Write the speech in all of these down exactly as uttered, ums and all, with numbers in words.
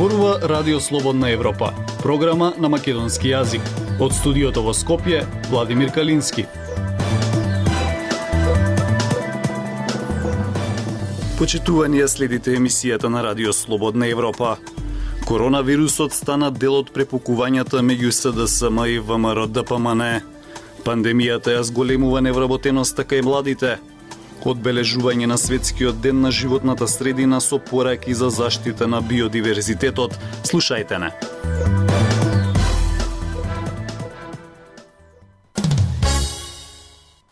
Зборува Радио Слободна Европа, програма на македонски јазик. Од студиото во Скопје, Владимир Калински. Почитувани, следите емисијата на Радио Слободна Европа. Коронавирусот стана дел од препукувањата меѓу СДСМ и ВМРО Д П М Н. Пандемијата ја зголемува невработеноста кај младите. Одбележување на светскиот ден на животната средина со пораки за заштита на биодиверзитетот. Слушајте не.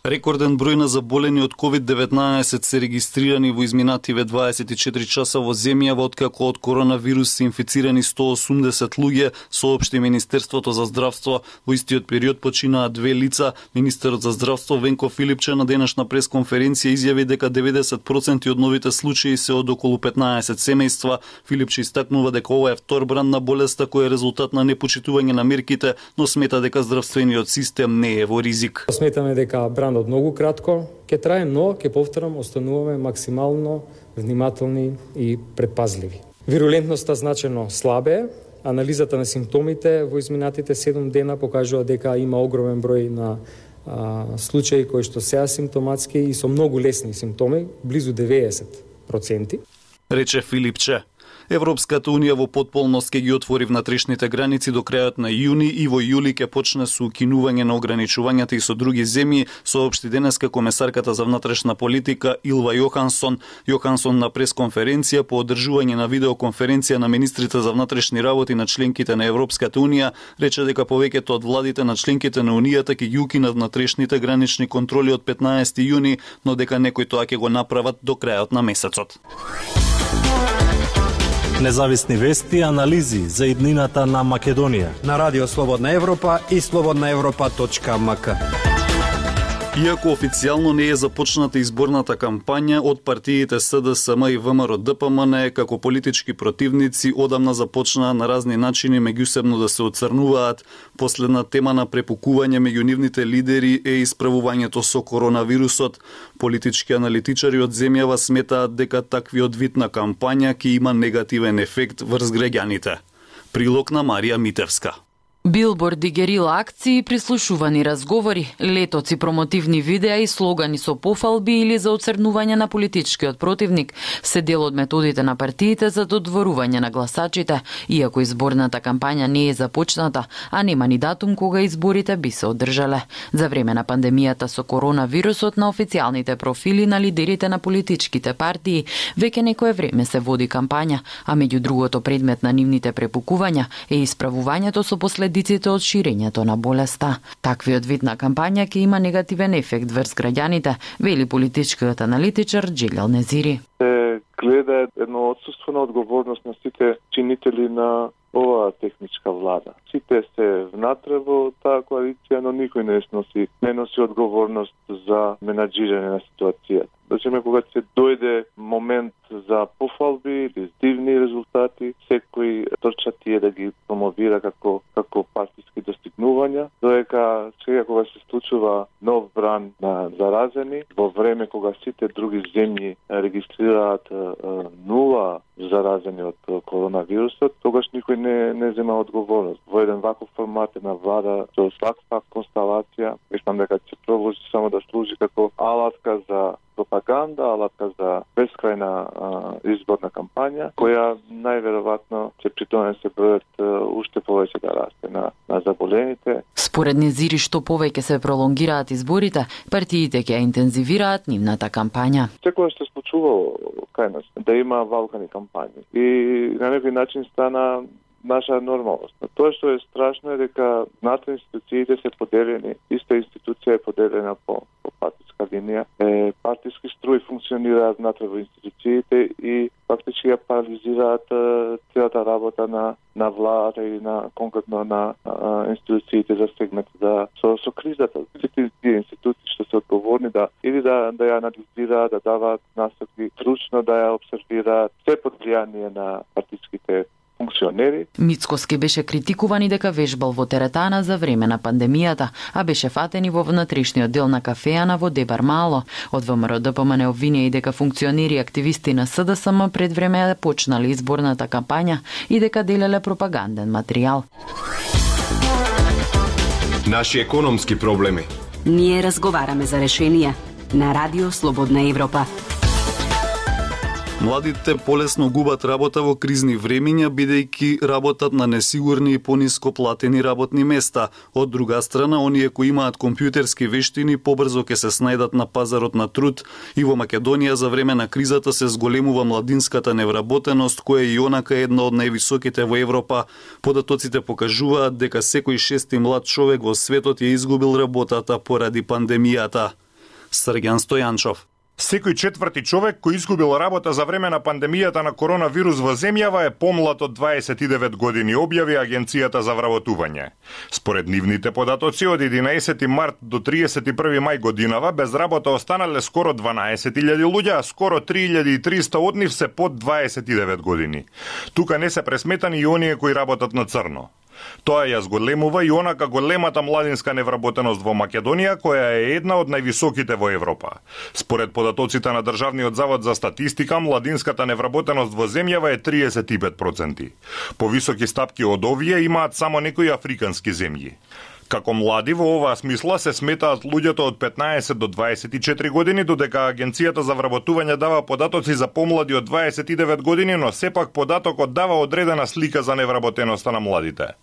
Рекорден број на заболени од ковид деветнаесет се регистрирани во изминативе дваесет и четири часа во земјава, откако од коронавирус се инфицирани сто осумдесет луѓе, соопшти Министерството за здравство. Во истиот период починаа две лица. Министерот за здравство Венко Филипче на денешна пресконференција изјави дека деветдесет проценти од новите случаи се од околу петнаесет семејства. Филипче истакнува дека ова е втор бран на болеста кој е резултат на непочитување на мерките, но смета дека здравствениот систем не е во ризик. Сметаме дека бран од многу кратко ќе трае, но ќе повторам, остануваме максимално внимателни и предпазливи. Вирулентноста значено слабе. Анализата на симптомите во изминатите седум дена покажува дека има огромен број на а, случаи кои што се асимптоматски и со многу лесни симптоми, близу деветдесет проценти. Рече Филипче. Европската унија во потполност ќе ги отвори внатрешните граници до крајот на јуни и во јули ќе почне со укинување на ограничувањата и со други земји, соопшти денеска комесарката за внатрешна политика Илва Јохансон. Јохансон на пресконференција по одржување на видеоконференција на министрите за внатрешни работи на членките на Европската унија рече дека повеќето од владите на членките на унијата ќе ги укинат внатрешните гранични контроли од петнаесети јуни, но дека некои тоа ќе го направат до крајот на месецот. Независни вести и анализи за иднината на Македонија на Радио Слободна Европа и слободна европа точка м к. Иако официјално не е започната изборната кампања, од партиите СДСМ и ВМРО Д П М Н како политички противници одамна започнаа на разни начини меѓусебно да се оцрнуваат. Последна тема на препукување меѓу нивните лидери е исправувањето со коронавирусот. Политички аналитичари од земјава сметаат дека таквиот вид на кампања ќе има негативен ефект врз граѓаните. Прилог на Марија Митевска. Билборди, герила акции, прислушувани разговори, летоци, промотивни видеа и слогани со пофалби или за оцрнување на политичкиот противник се дел од методите на партиите за додворување на гласачите, иако изборната кампања не е започната, а нема ни датум кога изборите би се одржале. За време на пандемијата со коронавирусот на официјалните профили на лидерите на политичките партии веќе некое време се води кампања, а меѓу другото предмет на нивните препукувања е исправувањето со последиците од ширењето на болеста. Таквиот вид на кампања ќе има негативен ефект врз граѓаните, вели политичкиот аналитичар Џелјал Незири. Се гледа едно отсуство на одговорност на сите чинители на оваа техничка влада. Сите се внатре во таа коалиција, но никој не носи, не носи одговорност за менаџирање на ситуацијата. Значи, кога се дојде момент за пофалби или дивни резултати, секој трча тие да ги промовира како како партиски достигнувања, додека сега кога се случува нов бран на заразени, во време кога сите други земји регистрираат нула заразени од коронавирусот, тогаш никој не не зема одговорност. Во еден ваков формат на влада со ваква констелација, мислам дека ќе продолжи само да служи како алатка за пропаганда, алатка за бескрајна а, изборна кампања, која најверојатно ќе придонесе бројот уште повеќе да расте на, на заболените. Според Незири, што повеќе се пролонгираат изборите, партиите ќе интензивираат нивната кампања. Секоја што се случувало кај нас, да има валкани кампањи. И на некој начин стана наша нормалност. Но тоа што е страшно е дека внатре институциите се поделени, иста институција е поделена по, по партиска линија, е, партиски струи функционираат внатре во институциите и фактички ја парализираат целата работа на на влада и на конкретно на а, институциите засегнати да со, со кризата. Сите тие институции што се одговорни да или да да ја анализираат, да даваат насоки, стручно да ја обсервираат, се под влијание на партиските функционери. Мицкоски беше критикуван и дека вежбал во теретана за време на пандемијата, а беше фатен и во внатрешниот дел на кафеана во Дебар Мало. Од ВМРО ДПМН обвинија и дека функционери и активисти на СДСМ пред време почнале изборната кампања и дека делеле пропаганден материјал. Наши економски проблеми. Ние разговараме за решенија на Радио Слободна Европа. Младите полесно губат работа во кризни времиња, бидејќи работат на несигурни и пониско платени работни места. Од друга страна, оние кои имаат компјутерски вештини побрзо ќе се снајдат на пазарот на труд. И во Македонија за време на кризата се зголемува младинската невработеност, која и онака е една од највисоките во Европа. Податоците покажуваат дека секој шести млад човек во светот ја изгубил работата поради пандемијата. Срѓан Стојанчов. Секој четврти човек кој изгубил работа за време на пандемијата на коронавирус во земјава е помлад од дваесет и девет години, објави Агенцијата за вработување. Според нивните податоци од единаесети март до триесет и први мај годинава без работа останале скоро дванаесет илјади луѓе, а скоро три илјади и триста од нив се под дваесет и девет години. Тука не се пресметани и оние кои работат на црно. Тоа ја зголемува и онака големата младинска невработеност во Македонија, која е една од највисоките во Европа. Според податоците на Државниот завод за статистика, младинската невработеност во земјава е триесет и пет проценти. Повисоки стапки од овие имаат само некои африкански земји. Како млади во оваа смисла се сметаат луѓето од петнаесет до дваесет и четири години, додека Агенцијата за вработување дава податоци за помлади од дваесет и девет години, но сепак податокот дава одредена слика за невработеноста на младите.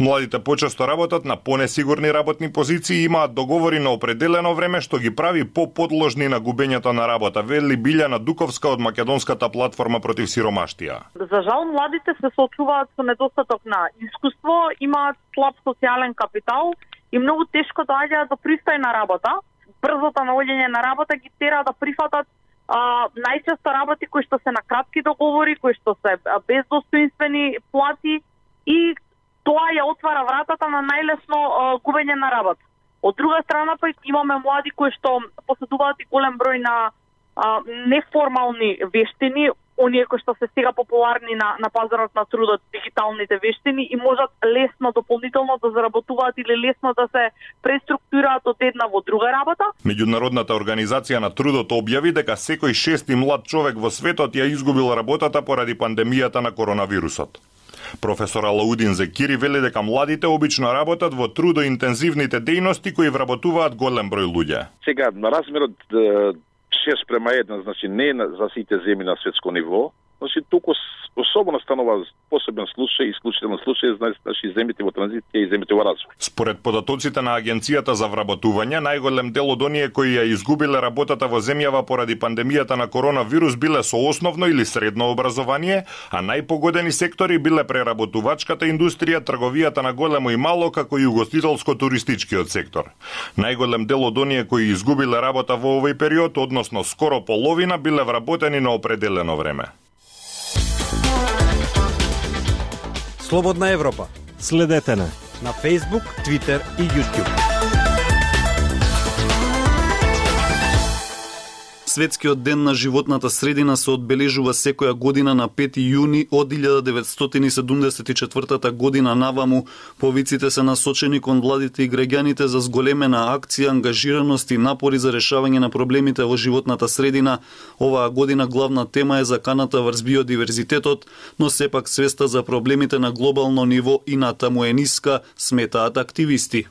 Младите почесто работат на понесигурни работни позиции и имаат договори на определено време, што ги прави поподложни на губењето на работа, вели Билјана Дуковска од Македонската платформа против сиромаштија. За жал, младите се соочуваат со недостаток на искуство, имаат слаб социјален капитал и многу тешко доаѓаат до пристојна работа. Брзото наоѓање на работа ги тера да прифатат а, најчесто работи кои што се на кратки договори, кои што се без достоинствени плати и тоа ја отвара вратата на најлесно а, губење на работа. Од друга страна па имаме млади кои што поседуваат и голем број на а, неформални вештини, оние кои што се сега популарни на, на пазарот на трудот, дигиталните вештини и можат лесно дополнително да заработуваат или лесно да се преструктурираат од една во друга работа. Меѓународната организација на трудот објави дека секој шести млад човек во светот ја изгубил работата поради пандемијата на коронавирусот. Професор Алаудин Зекири вели дека младите обично работат во трудоинтензивните дејности кои вработуваат голем број луѓе. Сега на размерот шест према еден, значи не за сите земји на светско ниво, значи туку особено станува посебен случај, исклучителен случај, значи земјите во транзиција и земјите во развој. Според податоците на Агенцијата за вработување, најголем дел од оние кои ја изгубиле работата во земјава поради пандемијата на коронавирус биле со основно или средно образование, а најпогодени сектори биле преработувачката индустрија, трговијата на големо и мало, како и угостителско-туристичкиот сектор. Најголем дел од оние кои изгубиле работа во овој период, односно скоро половина, биле вработени на определено време. Слободна Европа. Следете на на Facebook, Twitter и YouTube. Светскиот ден на животната средина се одбележува секоја година на пети јуни од илјада деветстотини и седумдесет и четвртата година наваму. Повиците се насочени кон владите и граѓаните за зголемена акција, ангажираност и напори за решавање на проблемите во животната средина. Оваа година главна тема е заканата врз биодиверзитетот, но сепак свеста за проблемите на глобално ниво и натаму е ниска, сметаат активисти.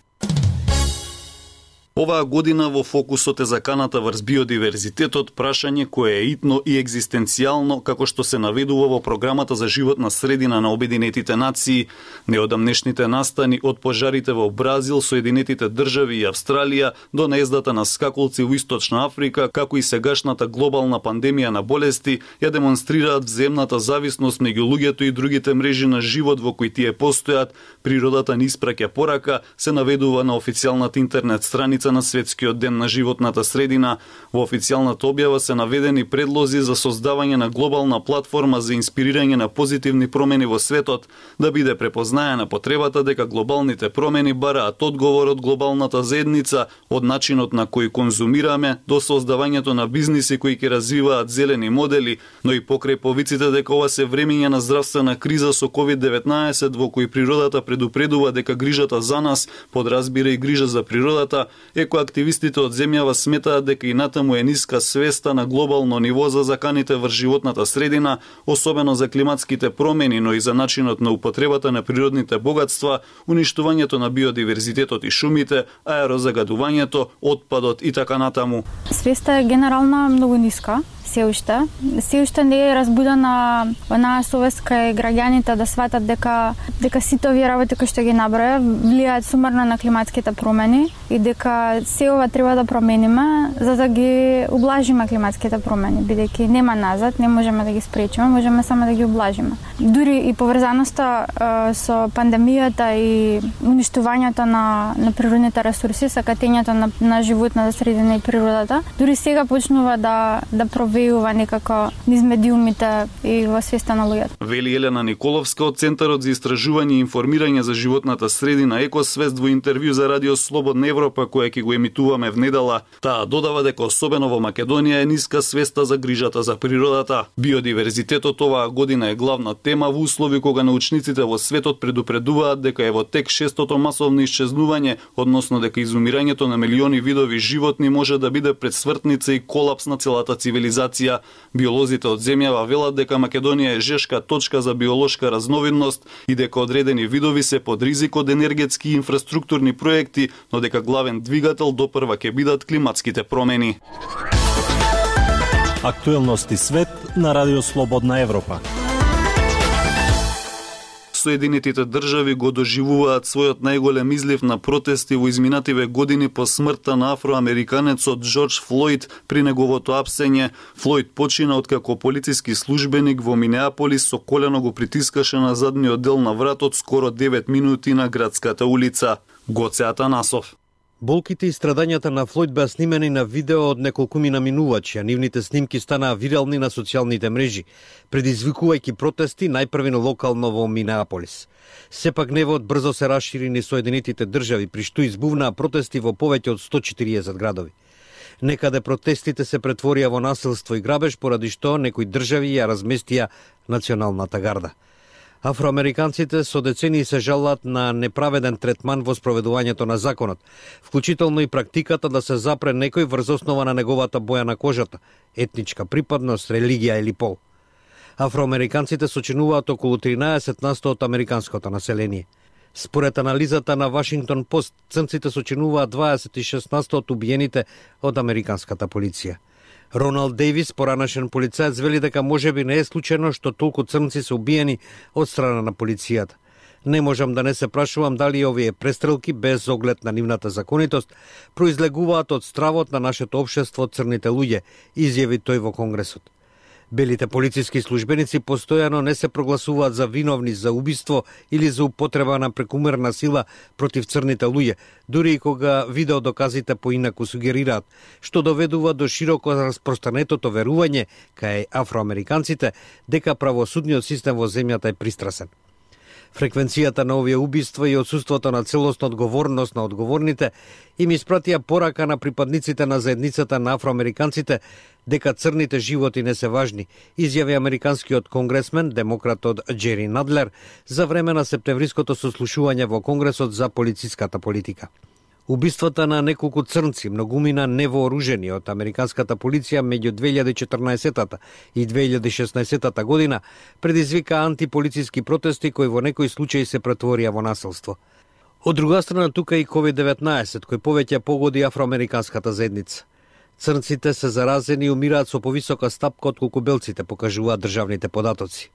Оваа година во фокусот е заканата врз биодиверзитетот, прашање кое е итно и екзистенцијално, како што се наведува во програмата за животна средина на Обединетите нации. Неодамнешните настани од пожарите во Бразил, Соединетите држави и Австралија до наездата на скакулци во Источна Африка, како и сегашната глобална пандемија на болести, ја демонстрираат взаимната зависност меѓу луѓето и другите мрежи на живот во кои тие постојат. Природата ни испраќа порака, се наведува на официјалната интернет страница седмица на Светскиот ден на животната средина. Во официјалната објава се наведени предлози за создавање на глобална платформа за инспирирање на позитивни промени во светот, да биде препознаена потребата дека глобалните промени бараат одговор од глобалната заедница, од начинот на кој конзумираме до создавањето на бизниси кои ќе развиваат зелени модели, но и покрај повиците дека ова се времења на здравствена криза со ковид деветнаесет во кој природата предупредува дека грижата за нас подразбира и грижа за природата, екоактивистите од земјава сметаат дека и натаму е ниска свеста на глобално ниво за заканите врз животната средина, особено за климатските промени, но и за начинот на употребата на природните богатства, уништувањето на биодиверзитетот и шумите, аерозагадувањето, отпадот и така натаму. Свеста е генерална многу ниска. Се уште. Се уште не е разбудена онаа совест кај граѓаните да сватат дека дека сите овие работи кои што ги наброја влијаат сумарно на климатските промени и дека се ова треба да промениме за да ги ублажиме климатските промени, бидејќи нема назад, не можеме да ги спречиме, можеме само да ги ублажиме. Дури и поврзаноста е, со пандемијата и уништувањето на на природните ресурси, сакатењето на на животната средина и природата, дури сега почнува да да вејува некако низ медиумите и во свеста на луѓето. Вели Елена Николовска од Центарот за истражување и информирање за животната средина Екосвест во интервју за Радио Слободна Европа која ќе го емитуваме в недела. Таа додава дека особено во Македонија е ниска свеста за грижата за природата. Биодиверзитетот оваа година е главна тема во услови кога научниците во светот предупредуваат дека е во тек шестото масовно исчезнување, односно дека изумирањето на милиони видови животни може да биде предсвртница и колапс на целата цивилизација. Биолозите од земјава велат дека Македонија е жешка точка за биолошка разновидност и дека одредени видови се под ризик од енергетски и инфраструктурни проекти, но дека главен двигател допрва ќе бидат климатските промени. Актуелности свет на Радио Слободна Европа. Соединетите држави го доживуваат својот најголем излив на протести во изминативе години по смртта на афроамериканецот Џорџ Флојд при неговото апсење. Флојд почина откако полициски службеник во Минеаполис со колено го притискаше на задниот дел на вратот скоро девет минути на градската улица. Гоце Атанасов. Болките и страдањата на Флојд беа снимени на видео од неколкумина минувачи, а нивните снимки станаа вирални на социјалните мрежи, предизвикувајќи протести најпрвено локално во Минеаполис. Сепак гневот брзо се расшири низ Соединетите држави, при што избувнаа протести во повеќе од сто четириесет градови. Некаде протестите се претворија во насилство и грабеж, поради што некои држави ја разместија националната гарда. Афроамериканците со децении се жалат на неправеден третман во спроведувањето на законот, вклучително и практиката да се запре некој врз основа на неговата боја на кожата, етничка припадност, религија или пол. Афроамериканците сочинуваат околу тринаесет на сто од американското население. Според анализата на Вашингтон Пост, црнците сочинуваат дваесет и шест на сто од убиените од американската полиција. Роналд Дејвис, поранашен полицаец, вели дека можеби не е случајно што толку црнци се убиени од страна на полицијата. Не можам да не се прашувам дали овие престрелки, без оглед на нивната законитост, произлегуваат од стравот на нашето општество од црните луѓе, изјави тој во Конгресот. Белите полициски службеници постојано не се прогласуваат за виновни за убиство или за употреба на прекумерна сила против црните луѓе, дури и кога видеодоказите поинаку сугерираат, што доведува до широко распространетото верување кај афроамериканците дека правосудниот систем во земјата е пристрасен. Фреквенцијата на овие убиства и отсуството на целосна одговорност на одговорните им испратија порака на припадниците на заедницата на афроамериканците дека црните животи не се важни, изјави американскиот конгресмен, демократот Џери Надлер, за време на септемвриското сослушување во Конгресот за полициската политика. Убиствата на неколку црнци, многумина невооружени од американската полиција меѓу две илјади и четрнаесетата и две илјади и шеснаесетата година предизвика антиполициски протести кои во некои случаи се претворија во насилство. Од друга страна тука и ковид деветнаесет кој повеќе погоди афроамериканската заедница. Црнците се заразени и умираат со повисока стапка отколку белците, покажуваат државните податоци.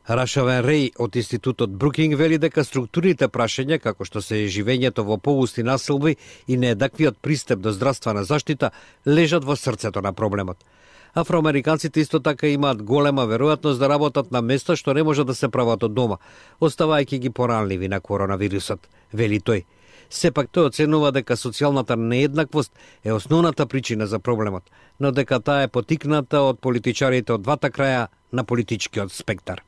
Рашавен Реј од Институтот Брукинг вели дека структурните прашања, како што се живењето во погусти населби и нееднаквиот пристап до здравствена заштита, лежат во срцето на проблемот. Афроамериканците исто така имаат голема веројатност да работат на места што не може да се прават од дома, оставајќи ги поранливи на коронавирусот, вели тој. Сепак тој оценува дека социјалната нееднаквост е основната причина за проблемот, но дека таа е потикната од политичарите од двата краја на политичкиот спектар.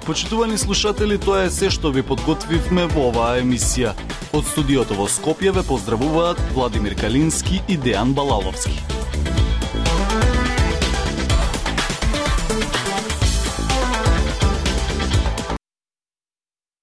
Почитувани слушатели, тоа е се што ви подготвивме во оваа емисија. Од студиото во Скопје ве поздравуваат Владимир Калински и Дејан Балаловски.